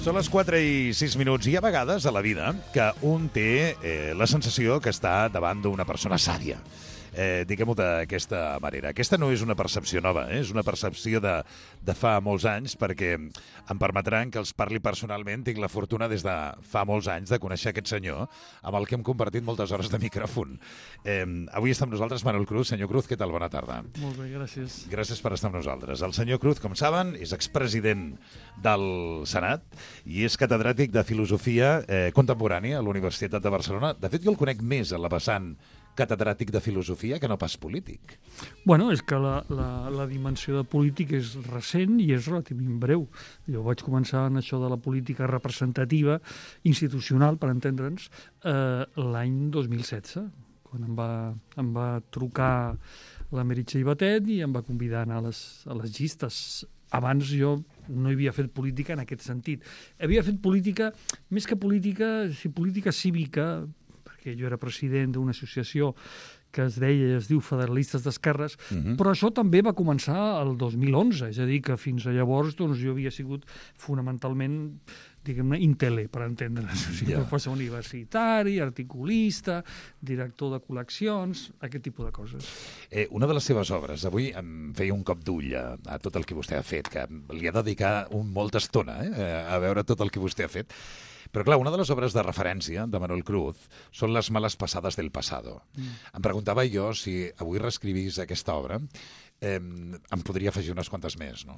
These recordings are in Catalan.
Són les 4 i 6 minuts. Hi ha vegades a la vida que un té la sensació que està davant d'una persona sàvia. Diguem-ho d'aquesta manera. Aquesta no és una percepció nova, és una percepció de fa molts anys, perquè em permetran que els parli personalment. Tinc la fortuna des de fa molts anys de conèixer aquest senyor, amb el que hem compartit moltes hores de micròfon. Avui està amb nosaltres Manuel Cruz. Senyor Cruz, què tal? Bona tarda. Molt bé, gràcies. Gràcies per estar amb nosaltres. El senyor Cruz, com saben, és expresident del Senat i és catedràtic de Filosofia Contemporània a la Universitat de Barcelona. De fet, jo el conec més a la vessant catedràtic de filosofia que no pas polític. Bueno, és que la dimensió de polític és recent i és relativament breu. Jo vaig començar en això de la política representativa, institucional, per entendre'ns, l'any 2016, quan em va trucar la Meritxell Batet i em va convidar a anar a les llistes. Abans jo no havia fet política en aquest sentit. Havia fet política, més que política, política cívica, que jo era president d'una associació que es diu Federalistes d'Esquerres, però això també va començar el 2011, és a dir, que fins a llavors doncs, jo havia sigut fonamentalment, diguem-ne, intele, per entendre's, professor universitari, articulista, director de col·leccions, aquest tipus de coses. Una de les seves obres, avui em feia un cop d'ull a tot el que vostè ha fet, que li ha dedicat molta estona a veure tot el que vostè ha fet. Però clar, una de les obres de referència de Manuel Cruz són les males passades del pasado. Em preguntava jo si avui reescrivís aquesta obra, em podria afegir unes quantes més, no?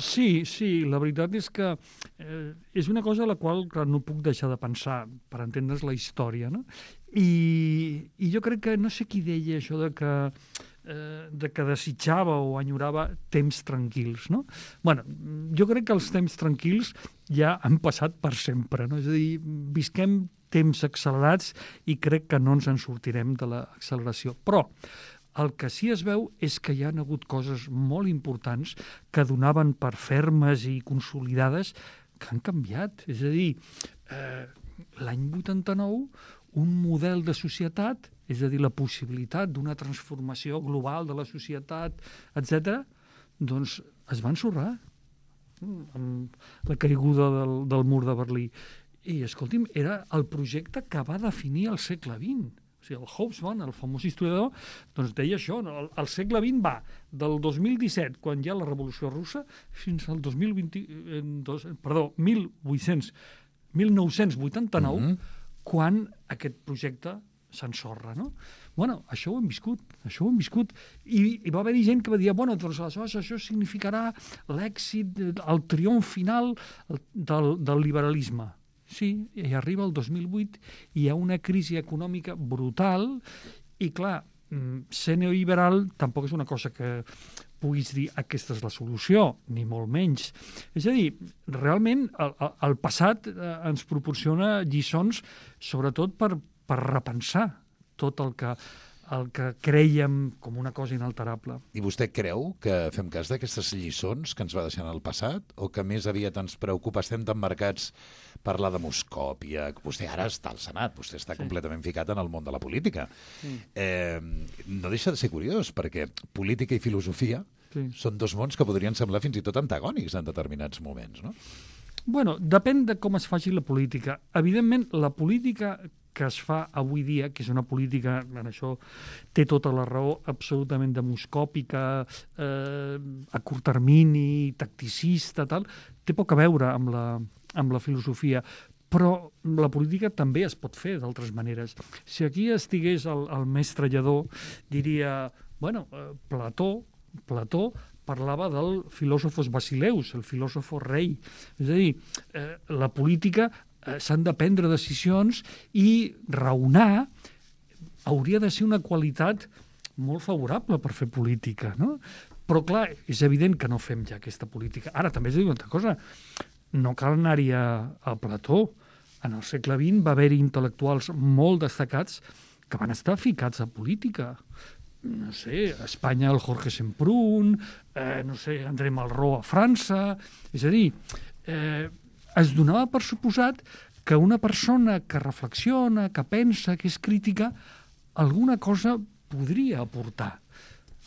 Sí, la veritat és que és una cosa a la qual clar, no puc deixar de pensar, per entendre's la història, no? I jo crec que, no sé qui deia això de que desitjava o enyorava temps tranquils, no? Bueno, jo crec que els temps tranquils ja han passat per sempre, no? És a dir, visquem temps accelerats i crec que no ens en sortirem de l'acceleració. Però el que sí es veu és que hi ha hagut coses molt importants que donaven per fermes i consolidades que han canviat. És a dir, l'any 89, un model de societat, és a dir, la possibilitat d'una transformació global de la societat, etc., doncs es va ensorrar amb la caiguda del mur de Berlí. I, escolti'm, era el projecte que va definir el segle XX. O sigui, el Hobsbawm, el famós historiador, doncs deia això, no? El segle XX va del 2017, quan hi ha la Revolució Russa, fins al 1989, quan aquest projecte s'ensorra, no? Bueno, això ho hem viscut. I va haver-hi gent que va dir, bueno, doncs aleshores això significarà l'èxit, el triomf final del liberalisme. Sí, i arriba el 2008 i hi ha una crisi econòmica brutal i, clar, ser neoliberal tampoc és una cosa que puguis dir aquesta és la solució, ni molt menys. És a dir, realment el passat ens proporciona lliçons sobretot per repensar tot el que crèiem com una cosa inalterable. I vostè creu que fem cas d'aquestes lliçons que ens va deixar en el passat o que més aviat ens preocupa? Estem tan marcats per la demoscòpia. Vostè ara està al Senat, vostè està completament ficat en el món de la política. No deixa de ser curiós, perquè política i filosofia són dos mons que podrien semblar fins i tot antagònics en determinats moments, no? Bueno, depèn de com es faci la política. Evidentment, la política que es fa avui dia, que és una política, en això té tota la raó, absolutament demoscòpica, a curt termini, tacticista, tal, té poc a veure amb la filosofia. Però la política també es pot fer d'altres maneres. Si aquí estigués el mestre Lledó, diria, bueno, Plató parlava del filòsofos basileus, el filòsofo rei. És a dir, la política s'han de prendre decisions i raonar hauria de ser una qualitat molt favorable per fer política, no? Però, clar, és evident que no fem ja aquesta política. Ara, també es diu una altra cosa. No cal anar-hi a Plató. En el segle XX va haver-hi intel·lectuals molt destacats que van estar ficats a política. No sé, a Espanya el Jorge Semprún, no sé, André Malraux a França. És a dir, es donava per suposat que una persona que reflexiona, que pensa, que és crítica, alguna cosa podria aportar.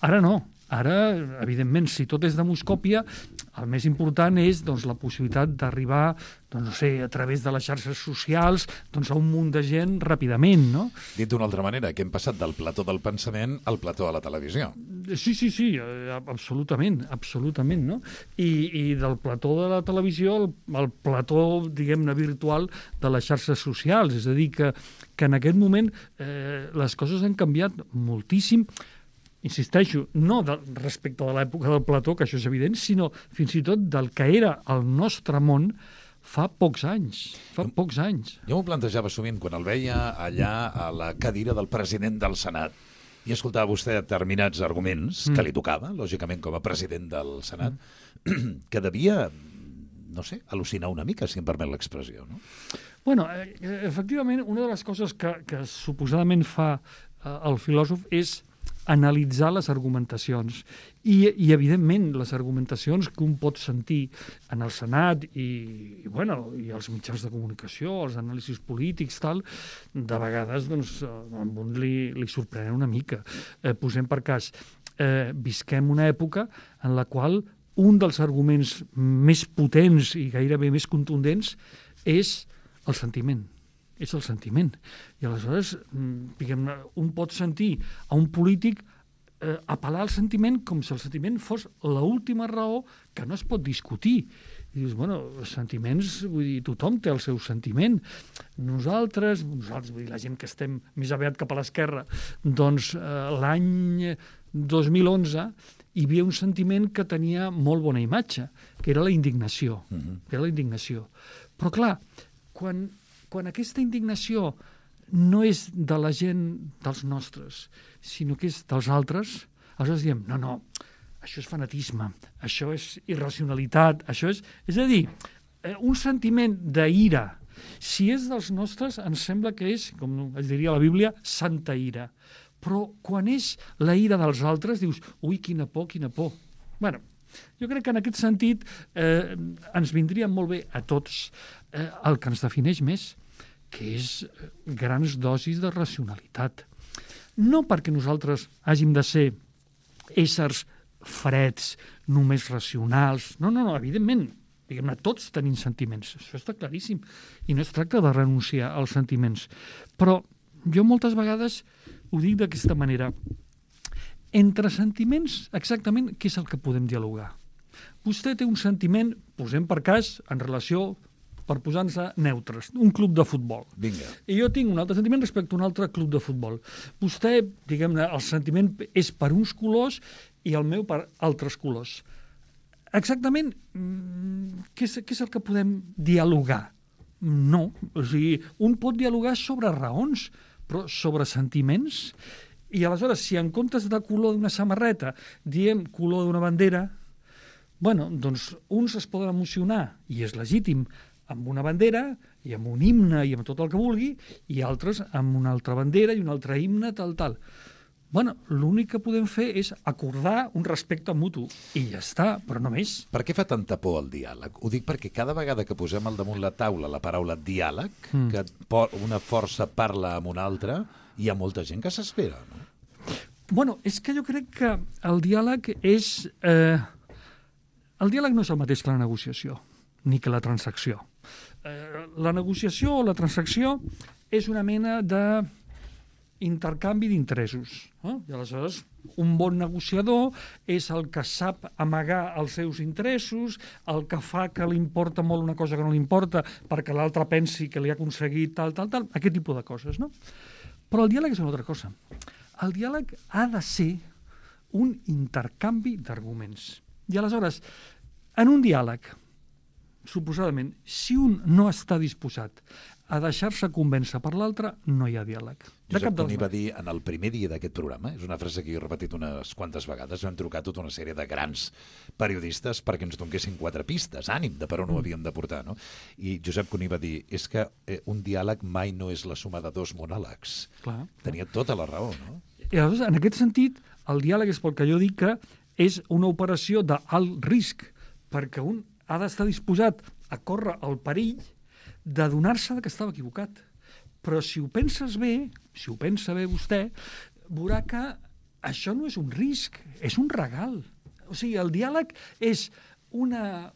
Ara no. Ara, evidentment, si tot és demoscòpia, El més important és la possibilitat d'arribar, no sé, a través de les xarxes socials, a un munt de gent ràpidament, no? Dit d'una altra manera, que hem passat del plató del pensament al plató de la televisió. Sí, absolutament, no? I del plató de la televisió al plató, diguem-ne, virtual de les xarxes socials. És a dir, que en aquest moment les coses han canviat moltíssim. Insisteixo, no respecte de l'època del plató, que això és evident, sinó fins i tot del que era el nostre món fa pocs anys. Jo m'ho plantejava sovint quan el veia allà a la cadira del president del Senat i escoltava vostè determinats arguments que li tocava, lògicament, com a president del Senat, que devia, no sé, al·lucinar una mica, si em permet l'expressió, no? Bueno, efectivament, una de les coses que suposadament fa el filòsof és analitzar les argumentacions i evidentment, les argumentacions que un pot sentir en el Senat i els mitjans de comunicació, els anàlisis polítics, tal, de vegades a un li sorprenen una mica. Posem per cas, visquem una època en la qual un dels arguments més potents i gairebé més contundents és el sentiment. És el sentiment. I aleshores, diguem-ne, un pot sentir a un polític apel·lar al sentiment com si el sentiment fos l'última raó que no es pot discutir. I dius, els sentiments, vull dir, tothom té el seu sentiment. Nosaltres, vull dir, la gent que estem més aviat cap a l'esquerra, l'any 2011 hi havia un sentiment que tenia molt bona imatge, que era la indignació. Era la indignació. Però, clar, quan aquesta indignació no és de la gent dels nostres, sinó que és dels altres, aleshores diem, no, això és fanatisme, això és irracionalitat, això és... És a dir, un sentiment d'ira, si és dels nostres, ens sembla que és, com es diria a la Bíblia, santa ira. Però quan és la ira dels altres, dius, ui, quina por, quina por. Bueno, jo crec que en aquest sentit ens vindria molt bé a tots el que ens defineix més, que és grans dosis de racionalitat. No perquè nosaltres hàgim de ser éssers freds, només racionals. No, evidentment, diguem-ne, tots tenim sentiments. Això està claríssim. I no es tracta de renunciar als sentiments. Però jo moltes vegades ho dic d'aquesta manera. Entre sentiments, exactament, què és el que podem dialogar? Vostè té un sentiment, posem per cas, en relació, per posar-nos neutres, un club de futbol. Vinga. I jo tinc un altre sentiment respecte a un altre club de futbol. Vostè, diguem-ne, el sentiment és per uns colors i el meu per altres colors. Exactament, què és el que podem dialogar? No. O sigui, un pot dialogar sobre raons, però sobre sentiments. I aleshores, si en comptes de color d'una samarreta diem color d'una bandera, doncs uns es poden emocionar, i és legítim, amb una bandera i amb un himne i amb tot el que vulgui, i altres amb una altra bandera i un altre himne, tal. L'únic que podem fer és acordar un respecte mutu, i ja està, però no més. Per què fa tanta por el diàleg? Ho dic perquè cada vegada que posem al damunt la taula la paraula diàleg, que una força parla amb una altra, hi ha molta gent que s'espera, no? És que jo crec que el diàleg és... El diàleg no és el mateix que la negociació, ni que la transacció. La negociació o la transacció és una mena d'intercanvi d'interessos. I aleshores, un bon negociador és el que sap amagar els seus interessos, el que fa que li importa molt una cosa que no li importa perquè l'altre pensi que li ha aconseguit tal, aquest tipus de coses, no? Però el diàleg és una altra cosa. El diàleg ha de ser un intercanvi d'arguments. I aleshores, en un diàleg, suposadament, si un no està disposat a deixar-se convèncer per l'altre, no hi ha diàleg. Josep Cuní va dir en el primer dia d'aquest programa, és una frase que jo he repetit unes quantes vegades, vam trucar tota una sèrie de grans periodistes perquè ens donessin 4 pistes, ànim de per on ho havíem de portar, no? I Josep Cuní va dir, és que un diàleg mai no és la suma de 2 monòlegs. Clar. Tenia tota la raó, no? I aleshores, en aquest sentit, el diàleg és pel que jo dic que és una operació d'alt risc, perquè un ha d'estar disposat a córrer el perill d'adonar-se que estava equivocat. Però si ho penses bé, si ho pensa bé vostè, veurà que això no és un risc, és un regal. O sigui, el diàleg és una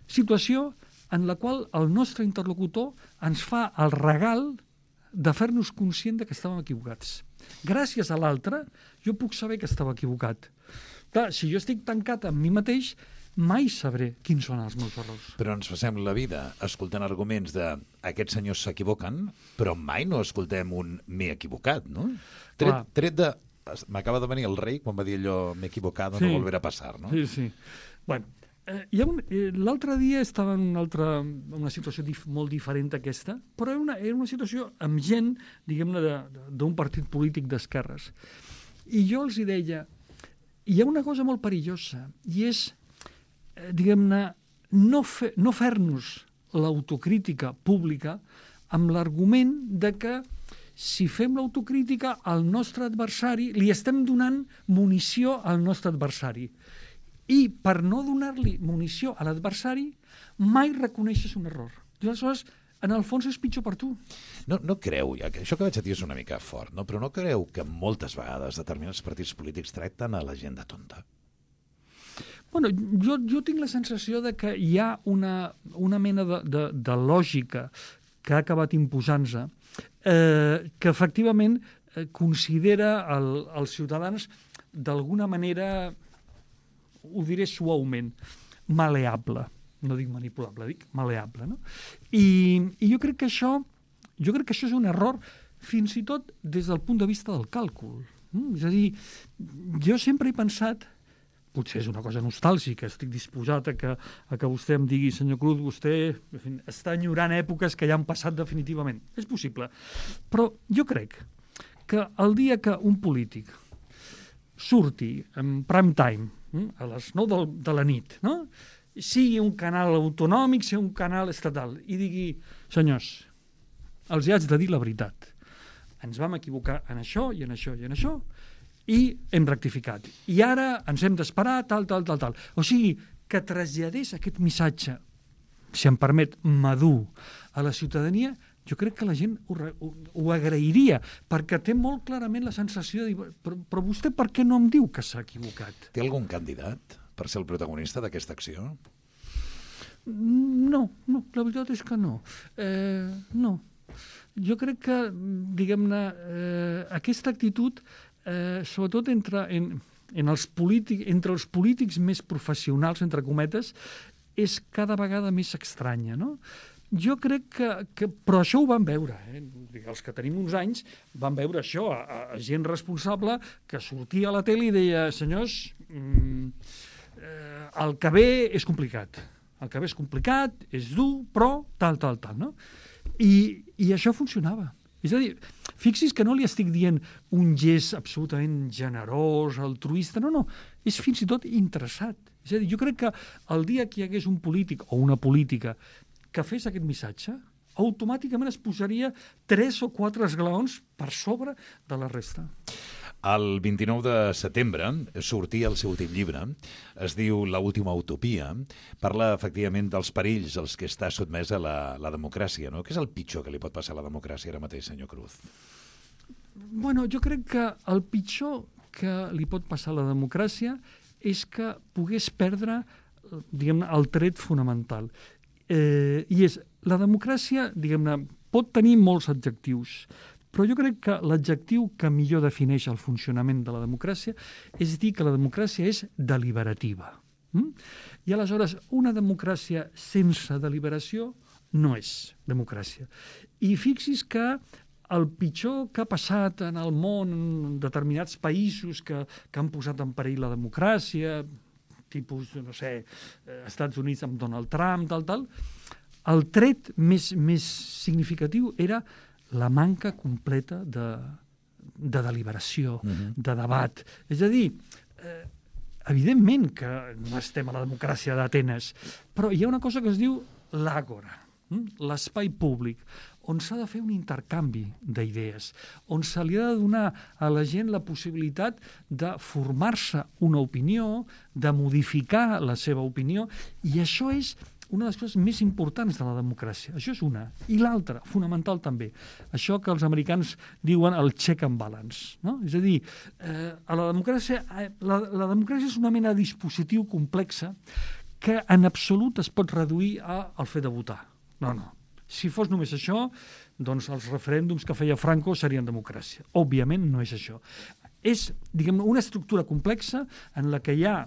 situació en la qual el nostre interlocutor ens fa el regal de fer-nos conscient que estàvem equivocats. Gràcies a l'altre, jo puc saber que estava equivocat. Clar, si jo estic tancat amb mi mateix, mai sabré quins són els meus errors. Però ens passem la vida escoltant arguments de aquests senyors s'equivoquen, però mai no escoltem un m'he equivocat, no? Tret de... M'acaba de venir el rei quan va dir allò m'he equivocat, no volverà a passar, no? Sí, sí. Bueno, l'altre dia estava en una situació molt diferent d'aquesta, però era una situació amb gent, diguem-ne, d'un partit polític d'esquerres. I jo els deia, hi ha una cosa molt perillosa, i és, diguem-ne, no fer-nos l'autocrítica pública amb l'argument de que si fem l'autocrítica al nostre adversari, li estem donant munició al nostre adversari. I per no donar-li munició a l'adversari, mai reconeixes un error. I aleshores, en el fons, és pitjor per tu. No creu, ja que això que vaig a dir és una mica fort, no? Però no creu que moltes vegades determinats partits polítics tracten a la gent de tonta? Bueno, jo tinc la sensació de que hi ha una mena de lògica que ha acabat imposant-se, que efectivament considera els ciutadans d'alguna manera, ho diré suaument, maleable. No dic manipulable, dic maleable. No? I jo crec que això és un error fins i tot des del punt de vista del càlcul. És a dir, jo sempre he pensat, potser és una cosa nostàlgica, estic disposat a que vostè em digui, senyor Cruz, vostè està enyorant èpoques que ja han passat definitivament. És possible. Però jo crec que el dia que un polític surti en prime time, a les 9 de la nit, no? Sigui un canal autonòmic, sigui un canal estatal, i digui, senyors, els haig de dir la veritat. Ens vam equivocar en això i en això i en això, i hem rectificat. I ara ens hem d'esperar, tal. O sigui, que traslladés aquest missatge, si em permet, madur, a la ciutadania, jo crec que la gent ho agrairia, perquè té molt clarament la sensació de dir, però vostè per què no em diu que s'ha equivocat? Té algun candidat per ser el protagonista d'aquesta acció? No, la veritat és que no. No. Jo crec que, diguem-ne, aquesta actitud, sobretot entre els polítics més professionals, entre cometes, és cada vegada més estranya, no? Jo crec que... Però això ho vam veure, els que tenim uns anys vam veure això, a gent responsable que sortia a la tele i deia, senyors, el que ve és complicat. El que ve és complicat, és dur, però tal, no? I això funcionava. És a dir, fixi's que no li estic dient un gest absolutament generós, altruista, no, és fins i tot interessat. És a dir, jo crec que el dia que hi hagués un polític o una política que fes aquest missatge, automàticament es posaria 3 o 4 esglaons per sobre de la resta. El 29 de setembre sortia el seu últim llibre, es diu L'última utopia, parla efectivament dels perills als que està sotmesa la democràcia, no? Què és el pitjor que li pot passar a la democràcia ara mateix, senyor Cruz? Bueno, jo crec que el pitjor que li pot passar a la democràcia és que pogués perdre, diguem-ne, el tret fonamental. I és, la democràcia, diguem-ne, pot tenir molts adjectius, però jo crec que l'adjectiu que millor defineix el funcionament de la democràcia és dir que la democràcia és deliberativa. I aleshores, una democràcia sense deliberació no és democràcia. I fixis que el pitjor que ha passat en el món, en determinats països que han posat en perill la democràcia, tipus, no sé, Estats Units amb Donald Trump, tal, el tret més significatiu era la manca completa de deliberació, de debat. És a dir, evidentment que no estem a la democràcia d'Atenes, però hi ha una cosa que es diu l'àgora, l'espai públic, on s'ha de fer un intercanvi d'idees, on se li ha de donar a la gent la possibilitat de formar-se una opinió, de modificar la seva opinió, i això és una de les coses més importants de la democràcia. Això és una. I l'altra, fonamental també, això que els americans diuen el check and balance. No? És a dir, la democràcia és una mena de dispositiu complex que en absolut es pot reduir al fet de votar. No. Si fos només això, doncs els referèndums que feia Franco serien democràcia. Òbviament no és això. És, diguem, una estructura complexa en la que hi ha,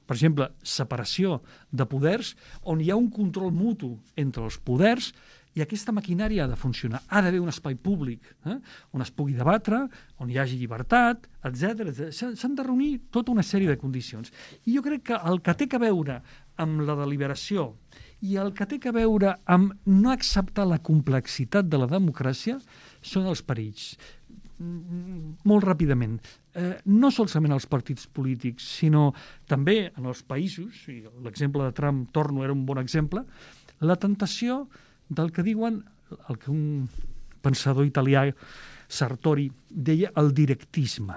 per exemple, separació de poders, on hi ha un control mutu entre els poders, i aquesta maquinària ha de funcionar. Ha d'haver un espai públic on es pugui debatre, on hi hagi llibertat, etc. S'han de reunir tota una sèrie de condicions. I jo crec que el que té a veure amb la deliberació i el que té a veure amb no acceptar la complexitat de la democràcia són els perills. Molt ràpidament. No solament els partits polítics, sinó també en els països, i l'exemple de Trump, torno, era un bon exemple, la tentació del que diuen, el que un pensador italià, Sartori, deia el directisme.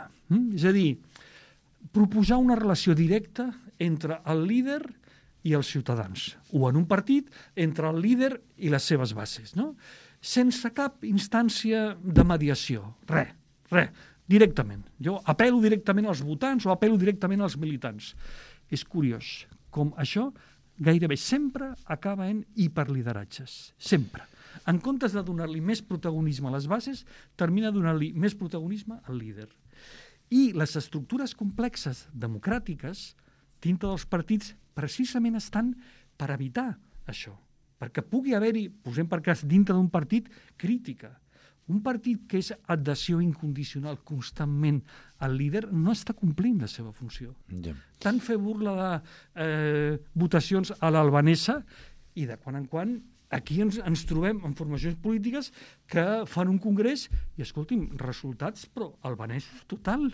És a dir, proposar una relació directa entre el líder i els ciutadans, o en un partit entre el líder i les seves bases, no? Sense cap instància de mediació. Res, directament. Jo apel·lo directament als votants o apel·lo directament als militants. És curiós com això gairebé sempre acaba en hiperlideratges. Sempre. En comptes de donar-li més protagonisme a les bases, termina donant-li més protagonisme al líder. I les estructures complexes democràtiques dintre dels partits precisament estan per evitar això. Perquè pugui haver-hi, posem per cas, dintre d'un partit, crítica. Un partit que és adhesió incondicional constantment al líder no està complint la seva funció. Yeah. Tant fer burla de votacions a l'albanesa i de quan en quan aquí ens trobem en formacions polítiques que fan un congrés i, escolti'm, resultats, però albanesos total.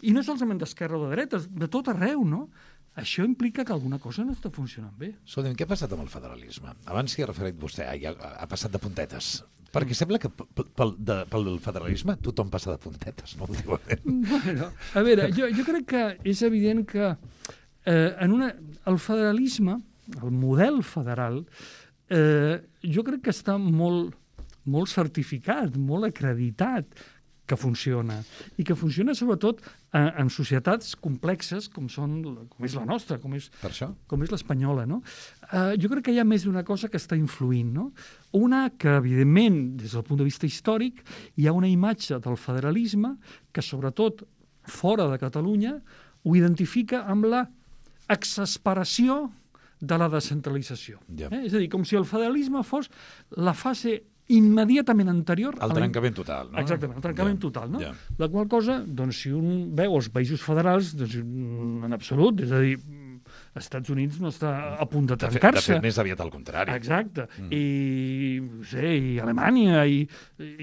I no solament d'esquerra o de dreta, de tot arreu, no? Això implica que alguna cosa no està funcionant bé. Escolta'm, què ha passat amb el federalisme? Abans s'hi ha referit vostè, ha passat de puntetes. Perquè sembla que pel federalisme tothom passa de puntetes, no? Bueno, a veure, jo crec que és evident que el federalisme, el model federal, jo crec que està molt certificat, molt acreditat que funciona. I que funciona sobretot en societats complexes com és la nostra, com és l'espanyola. No? Jo crec que hi ha més d'una cosa que està influint. No? Una que, evidentment, des del punt de vista històric, hi ha una imatge del federalisme que, sobretot, fora de Catalunya, ho identifica amb la exasperació de la descentralització. És a dir, com si el federalisme fos la fase immediatament anterior al trencament total, no? Exactament, el trencament total, no? La qual cosa, doncs, si un veu els països federals, doncs, en absolut, és a dir, Estats Units no està a punt de trencar-se. De fet, més aviat al contrari. Exacte. I Alemanya i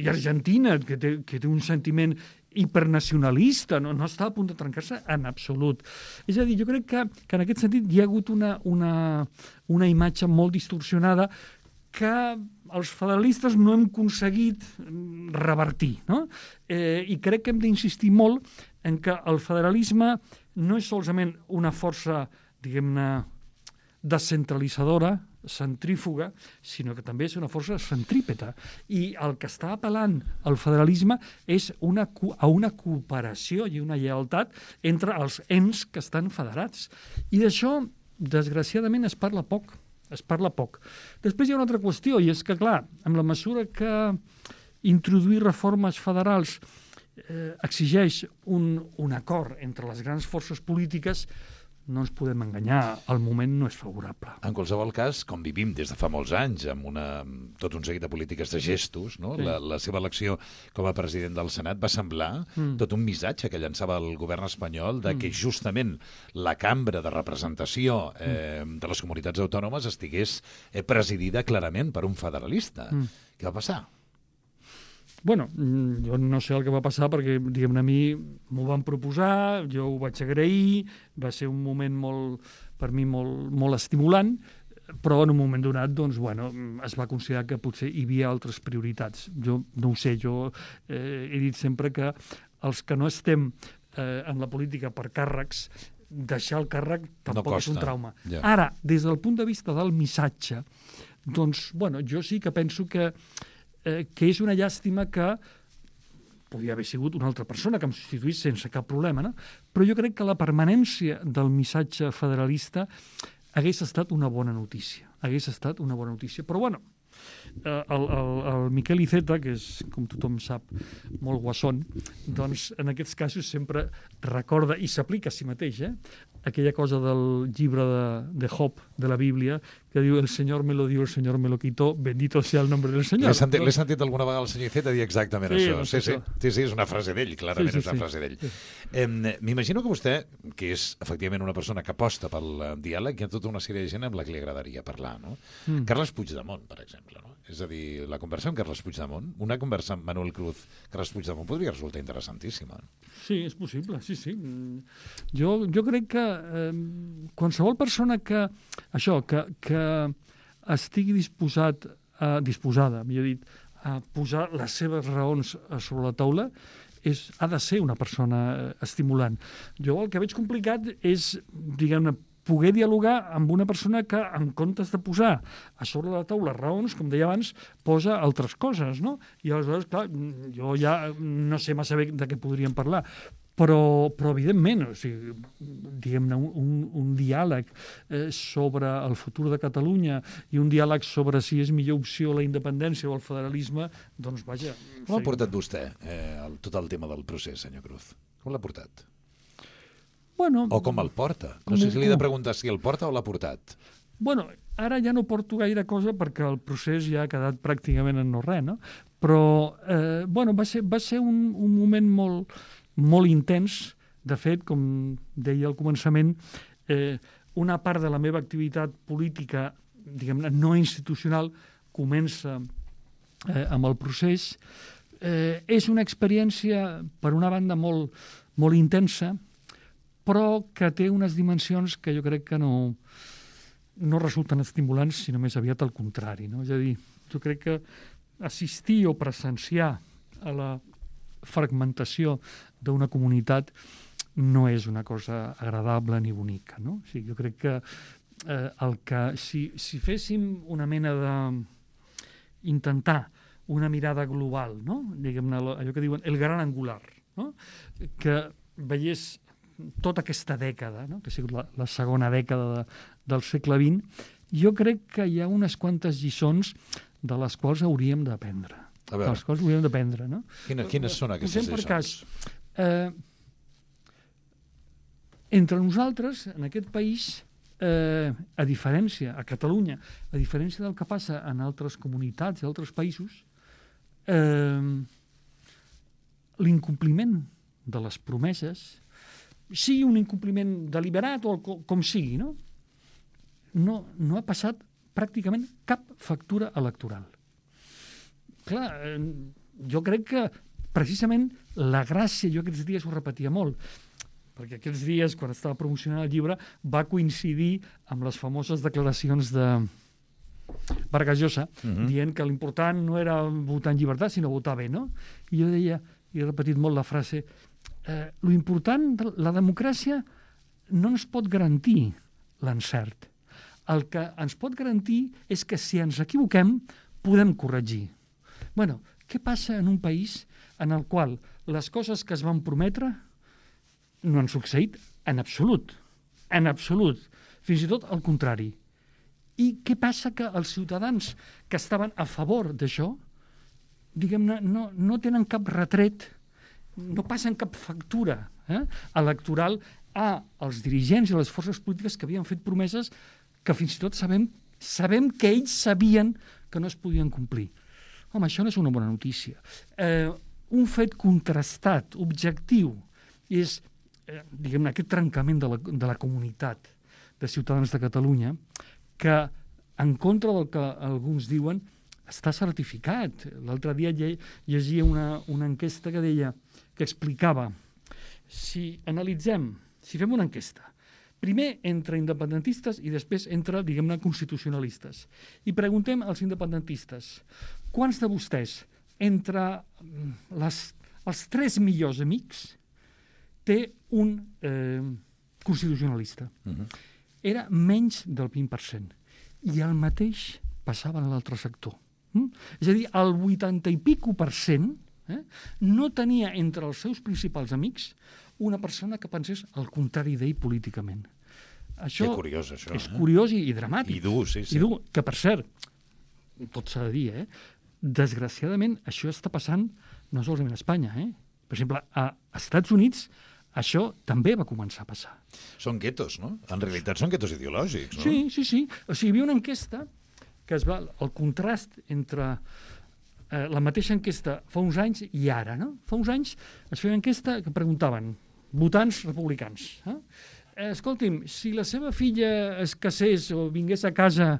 Argentina, que té un sentiment hipernacionalista, no està a punt de trencar-se en absolut. És a dir, jo crec que en aquest sentit hi ha hagut una imatge molt distorsionada que els federalistes no hem aconseguit revertir. No? I crec que hem d'insistir molt en que el federalisme no és solament una força, diguem-ne, descentralitzadora, centrífuga, sinó que també és una força centrípeta. I el que està apel·lant al federalisme és a una cooperació i una lleialtat entre els ens que estan federats. I d'això, desgraciadament, es parla poc. Després hi ha una altra qüestió, i és que, clar, amb la mesura que introduir reformes federals exigeix un acord entre les grans forces polítiques, no ens podem enganyar, el moment no és favorable. En qualsevol cas, com vivim des de fa molts anys, amb tot un seguit de polítiques de gestos, no? Sí. La seva elecció com a president del Senat va semblar tot un missatge que llançava el govern espanyol de que justament la cambra de representació de les comunitats autònomes estigués presidida clarament per un federalista. Què va passar? Bueno, jo no sé el que va passar perquè, diguem-ne, a mi m'ho van proposar, jo ho vaig agrair, va ser un moment per mi molt estimulant, però en un moment donat, doncs, bueno, es va considerar que potser hi havia altres prioritats. Jo no ho sé, jo he dit sempre que els que no estem en la política per càrrecs, deixar el càrrec tampoc és un trauma. Yeah. Ara, des del punt de vista del missatge, doncs, bueno, jo sí que penso que és una llàstima que podria haver sigut una altra persona que em substituís sense cap problema, no? Però jo crec que la permanència del missatge federalista hagués estat una bona notícia. Hagués estat una bona notícia. Però, bueno, el Miquel Iceta, que és, com tothom sap, molt guasson, doncs en aquests casos sempre recorda i s'aplica a si mateix, aquella cosa del llibre de Job, de la Bíblia, que diu el Senyor me lo dio, el Senyor me lo quitó, bendito sea el nombre del Senyor. L'he sentit alguna vegada el senyor Iceta dir exactament això. Sí, és una frase d'ell, clarament és una frase d'ell. M'imagino que vostè, que és efectivament una persona que aposta pel diàleg, hi ha tota una sèrie de gent amb la que li agradaria parlar, no? Carles Puigdemont, per exemple, no? És a dir, la conversa amb Carles Puigdemont, una conversa amb Manuel Cruz, Carles Puigdemont podria resultar interessantíssima. Sí, és possible, sí. Jo crec que qualsevol persona que estigui disposada, millor dit, a posar les seves raons sobre la taula, ha de ser una persona estimulant. Jo el que veig complicat és, diguem-ne, poder dialogar amb una persona que, en comptes de posar a sobre la taula raons, com deia abans, posa altres coses, no? I aleshores, clar, jo ja no sé massa bé de què podríem parlar, però evidentment, o sigui, diguem-ne, un diàleg sobre el futur de Catalunya i un diàleg sobre si és millor opció la independència o el federalisme, doncs vaja... Com ha portat vostè tot el tema del procés, senyor Cruz? Com l'ha portat? Bueno, o com el porta? No sé si li he de preguntar si el porta o l'ha portat. Bueno, ara ja no porto gaire cosa perquè el procés ja ha quedat pràcticament en no res, no? Però, bueno, va ser un moment molt intens. De fet, com deia al començament, una part de la meva activitat política, diguem-ne, no institucional, comença amb el procés. És una experiència, per una banda, molt intensa, però que té unes dimensions que jo crec que no resulten estimulants, sinó més aviat al contrari, no? És a dir, jo crec que assistir o presenciar a la fragmentació d'una comunitat no és una cosa agradable ni bonica, no? O sigui, jo crec que si féssim una mena de intentar una mirada global, no? Diguem-ne, allò que diuen el gran angular, no? Que veiés tota aquesta dècada, no? Que ha sigut la segona dècada del segle XX, jo crec que hi ha unes quantes lliçons de les quals hauríem d'aprendre. De les quals hauríem d'aprendre, no? Quines són aquestes lliçons? Per cas, entre nosaltres, en aquest país, a Catalunya, a diferència del que passa en altres comunitats i altres països, l'incompliment de les promeses, sigui un incompliment deliberat o com sigui, no ha passat pràcticament cap factura electoral. Clar, jo crec que precisament la gràcia, jo aquests dies ho repetia molt, perquè aquests dies, quan estava promocionant el llibre, va coincidir amb les famoses declaracions de Vargas Llosa, dient que l'important no era votar en llibertat, sinó votar bé, no? I jo deia, i he repetit molt la frase, lo important de la democràcia no ens pot garantir l'encert. El que ens pot garantir és que si ens equivoquem podem corregir. Bueno, què passa en un país en el qual les coses que es van prometre no han succeït en absolut, fins i tot al contrari. I què passa? Que els ciutadans que estaven a favor d'això, diguem-ne, no tenen cap retret, no passen cap factura electoral als dirigents i a les forces polítiques que havien fet promeses que fins i tot sabem que ells sabien que no es podien complir. Home, això no és una bona notícia. Un fet contrastat, objectiu, és, diguem-ne, aquest trencament de la comunitat de ciutadans de Catalunya que, en contra del que alguns diuen, està certificat. L'altre dia llegia una enquesta que explicava, si fem una enquesta, primer entre independentistes i després entre, diguem-ne, constitucionalistes, i preguntem als independentistes, quants de vostès, entre els 3 millors amics, té un constitucionalista? Era menys del 20%. I el mateix passava a l'altre sector. És a dir, el 80 i pico % no tenia entre els seus principals amics una persona que pensés el contrari d'ell políticament. Que curiós, això. És curiós i dramàtic. I dur, sí. I dur, que per cert, tot s'ha de dir, desgraciadament això està passant no solament a Espanya. Per exemple, a Estats Units això també va començar a passar. Són guetos, no? En realitat són guetos ideològics, no? Sí. O sigui, hi havia una enquesta que el contrast entre la mateixa enquesta fa uns anys i ara, no? Fa uns anys es feia una enquesta que preguntaven votants republicans. Escolti'm, si la seva filla es casés o vingués a casa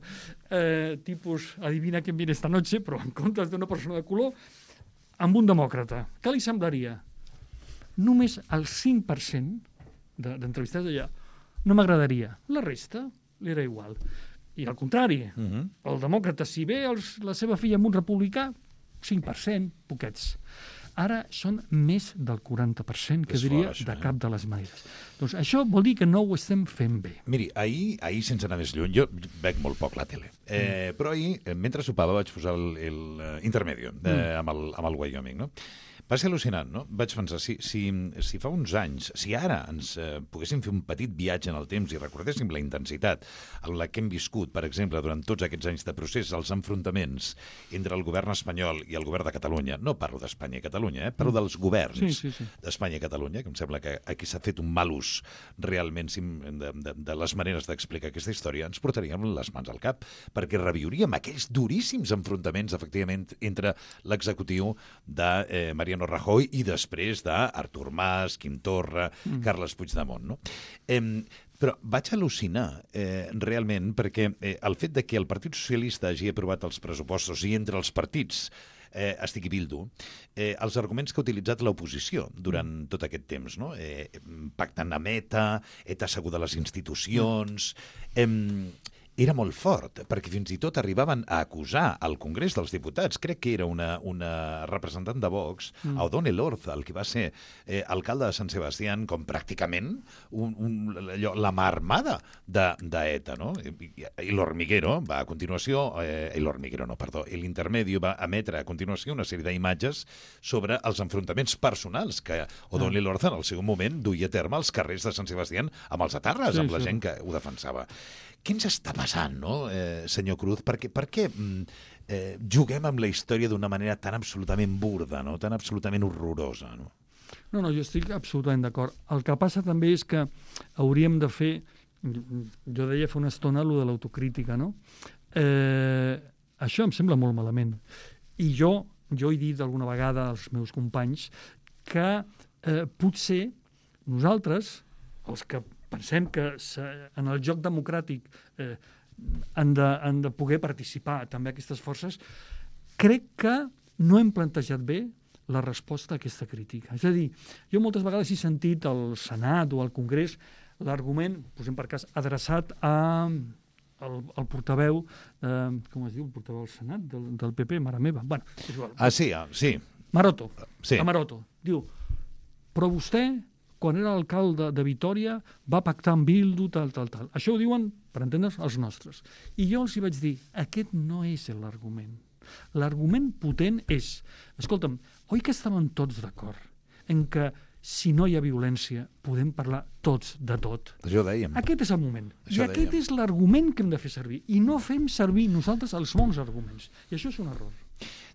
tipus adivina quién viene esta noche, però en comptes d'una persona de color, amb un demòcrata, què li semblaria? Només el 5% d'entrevistats allà no m'agradaria. La resta li era igual. I al contrari, el demòcrata, si ve la seva filla amb un republicà, 5%, poquets. Ara són més del 40%, que diria, de cap de les maneres. Doncs això vol dir que no ho estem fent bé. Miri, ahir sense anar més lluny, jo veig molt poc la tele, però ahir, mentre sopava, vaig posar l'Intermedio amb el Wyoming, no? Va ser al·lucinant, no? Vaig pensar, si fa uns anys, si ara ens poguéssim fer un petit viatge en el temps i recordéssim la intensitat en la que hem viscut, per exemple, durant tots aquests anys de procés, els enfrontaments entre el govern espanyol i el govern de Catalunya, no parlo d'Espanya i Catalunya, parlo dels governs d'Espanya i Catalunya, que em sembla que aquí s'ha fet un mal ús realment de les maneres d'explicar aquesta història, ens portaríem les mans al cap, perquè reviuríem aquells duríssims enfrontaments, efectivament, entre l'executiu de Mariano Rajoy i després d'Artur Mas, Quim Torra, Carles Puigdemont, no? Però vaig al·lucinar realment perquè el fet de que el Partit Socialista hagi aprovat els pressupostos i entre els partits estigui Bildu, els arguments que ha utilitzat l'oposició durant tot aquest temps, no? Pactant amb ETA asseguda a les institucions... Era molt fort, perquè fins i tot arribaven a acusar al Congrés dels Diputats, crec que era una representant de Vox, O'Donnell Orza, el que va ser alcalde de Sant Sebastián, com pràcticament la mà armada d'ETA, no? I l'Hormiguero va a continuació, l'Intermedio va emetre a continuació una sèrie d'imatges sobre els enfrontaments personals que O'Donnell Orza en el seu moment duia a terme als carrers de Sant Sebastián amb els etarres, amb la gent que ho defensava. Què ens està passant, no, senyor Cruz? Per què juguem amb la història d'una manera tan absolutament burda, no? Tan absolutament horrorosa? No, jo estic absolutament d'acord. El que passa també és que hauríem de fer, jo deia fa una estona, allò de l'autocrítica, no? Això em sembla molt malament. I jo he dit alguna vegada als meus companys que potser nosaltres, els que pensem que en el joc democràtic han de poder participar també aquestes forces, crec que no hem plantejat bé la resposta a aquesta crítica. És a dir, jo moltes vegades he sentit al Senat o al Congrés l'argument, posem per cas, adreçat al portaveu, com es diu, el portaveu del Senat, del PP, mare meva. Bueno, és igual. Sí. Maroto. Sí. A Maroto. Diu, però vostè, quan era alcalde de Vitòria, va pactar amb Bildu, tal. Això ho diuen, per entendre's, els nostres. I jo els hi vaig dir, aquest no és l'argument. L'argument potent és, escolta'm, oi que estàvem tots d'acord en que si no hi ha violència podem parlar tots de tot? Això ho dèiem. Aquest és el moment. I aquest és l'argument que hem de fer servir. I no fem servir nosaltres els bons arguments. I això és un error.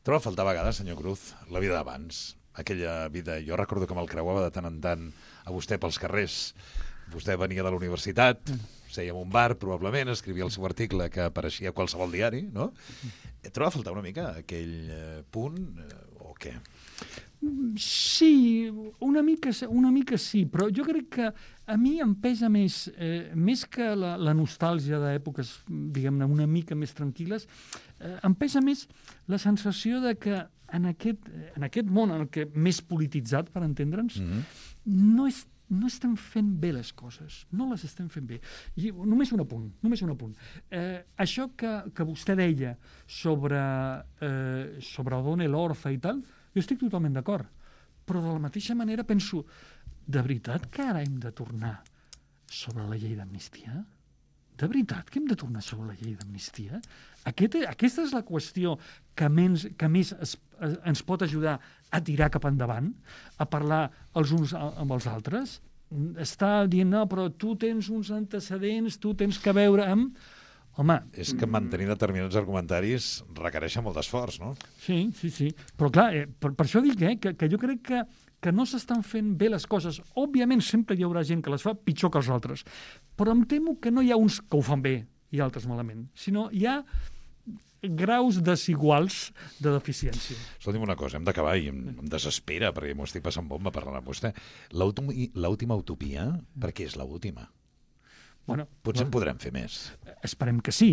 Troba a faltar a vegades, senyor Cruz, la vida d'abans. Aquella vida, jo recordo que me'l creuava de tant en tant a vostè pels carrers. Vostè venia de la universitat, seia en un bar, probablement, escrivia el seu article que apareixia a qualsevol diari, no? Troba a faltar una mica aquell punt, o què? Sí, una mica sí, però jo crec que a mi em pesa més que la nostàlgia d'èpoques, diguem-ne, una mica més tranquil·les, em pesa més la sensació de que en aquest món en el que més polititzat, per entendre'ns, no estem fent bé les coses, no les estem fent bé. I només un apunt. Això que vostè deia sobre O'Donnell Orza i tal, jo estic totalment d'acord, però de la mateixa manera penso, de veritat que ara hem de tornar sobre la llei d'amnistia? De veritat que hem de tornar sobre la llei d'amnistia? Aquesta és la qüestió que més ens pot ajudar a tirar cap endavant, a parlar els uns amb els altres? està dient, no, però tu tens uns antecedents, tu tens que veure amb... Home... És que mantenir determinats argumentaris requereix molt d'esforç, no? Sí. Però clar, per això dic que jo crec que no s'estan fent bé les coses. Òbviament sempre hi haurà gent que les fa pitjor que els altres, però em temo que no hi ha uns que ho fan bé i altres malament, sinó hi ha graus desiguals de deficiència. Escolti'm una cosa, hem d'acabar i em desespera, perquè m'ho estic passant bomba parlant amb vostè. L'última utopia, per què és l'última? Bueno, Potser en podrem fer més. Esperem que sí.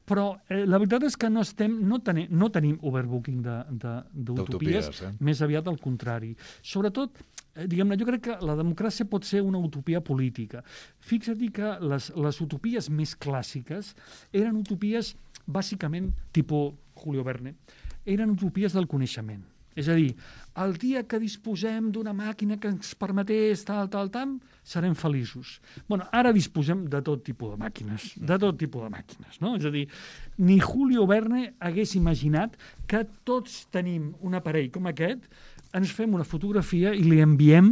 Però la veritat és que no tenim overbooking d'utopies, més aviat al contrari. Sobretot, diguem-ne, jo crec que la democràcia pot ser una utopia política. Fixa't que les utopies més clàssiques eren utopies, bàsicament, tipus Julio Verne, eren utopies del coneixement. És a dir, el dia que disposem d'una màquina que ens permetés tal, serem feliços. Bueno, ara disposem de tot tipus de màquines, no? És a dir, ni Julio Verne hagués imaginat que tots tenim un aparell com aquest, ens fem una fotografia i li enviem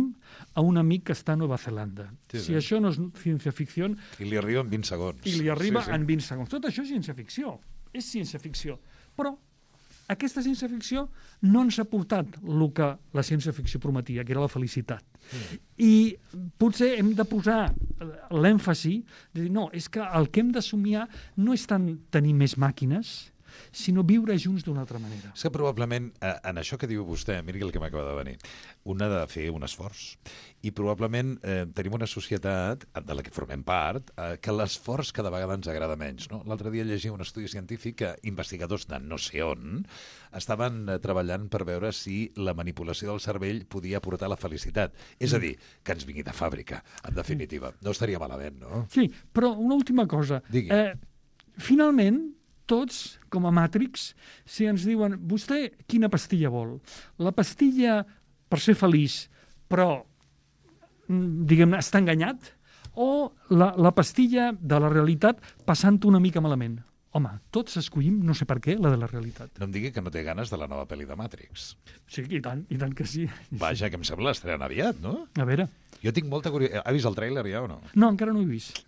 a un amic que està a Nova Zelanda. Sí. Si això no és ciència-ficció... I li arriba en 20 segons. I li arriba en 20 segons. Tot això és ciència-ficció. És ciència-ficció. Però aquesta ciència-ficció no ens ha portat el que la ciència-ficció prometia, que era la felicitat. I potser hem de posar l'èmfasi de dir, no, és que el que hem de somiar no és tant tenir més màquines, sinó viure junts d'una altra manera. És que probablement, en això que diu vostè, miri el que m'acaba de venir, un ha de fer un esforç. I probablement tenim una societat de la que formem part que l'esforç cada vegada ens agrada menys. No? L'altre dia llegia un estudi científic que investigadors de no sé on estaven treballant per veure si la manipulació del cervell podia portar la felicitat. És a dir, que ens vingui de fàbrica, en definitiva. No estaria malament, no? Sí, però una última cosa. Digui. Finalment, tots, com a Matrix, si ens diuen, vostè quina pastilla vol? La pastilla per ser feliç, però, diguem-ne, està enganyat? O la pastilla de la realitat passant una mica malament? Home, tots escollim, no sé per què, la de la realitat. No em digui que no té ganes de la nova pel·li de Matrix. Sí, i tant que sí. Vaja, que em sembla l'estrenar aviat, no? A veure. Jo tinc molta curiositat. Ha vist el tràiler ja o no? No, encara no ho he vist.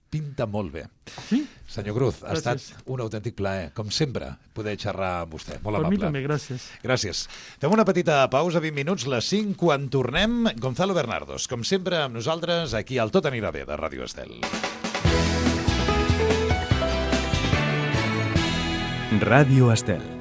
Pinta molt bé. Sí? Senyor Cruz, ha Gràcies. estat un autèntic plaer, com sempre, poder xerrar amb vostè. Molt amable. Per mi també, gràcies. Gràcies. Fem una petita pausa, 20 minuts, les 5, quan tornem, Gonzalo Bernardos, com sempre amb nosaltres, aquí al Tot anirà bé, de Ràdio Estel. Ràdio Estel.